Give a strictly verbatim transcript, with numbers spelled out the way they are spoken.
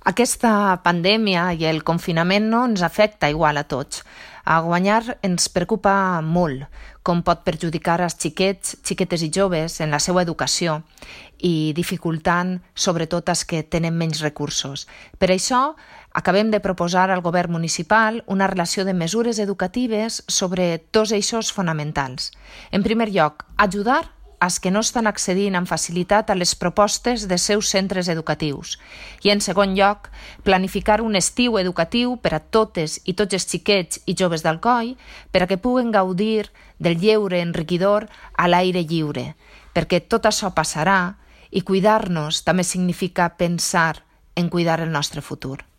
Aquesta pandèmia i el confinament no ens afecta igual a tots. A guanyar ens preocupa molt com pot perjudicar els xiquets, xiquetes i joves en la seva educació i dificultant sobretot els que tenen menys recursos. Per això acabem de proposar al govern municipal una relació de mesures educatives sobre dos eixos fonamentals. En primer lloc, ajudar els que no estan accedint amb facilitat a les propostes dels seus centres educatius. I, en segon lloc, planificar un estiu educatiu per a totes i tots els xiquets i joves d'Alcoi per a que puguen gaudir del lleure enriquidor a l'aire lliure, perquè tot això passarà i cuidar-nos també significa pensar en cuidar el nostre futur.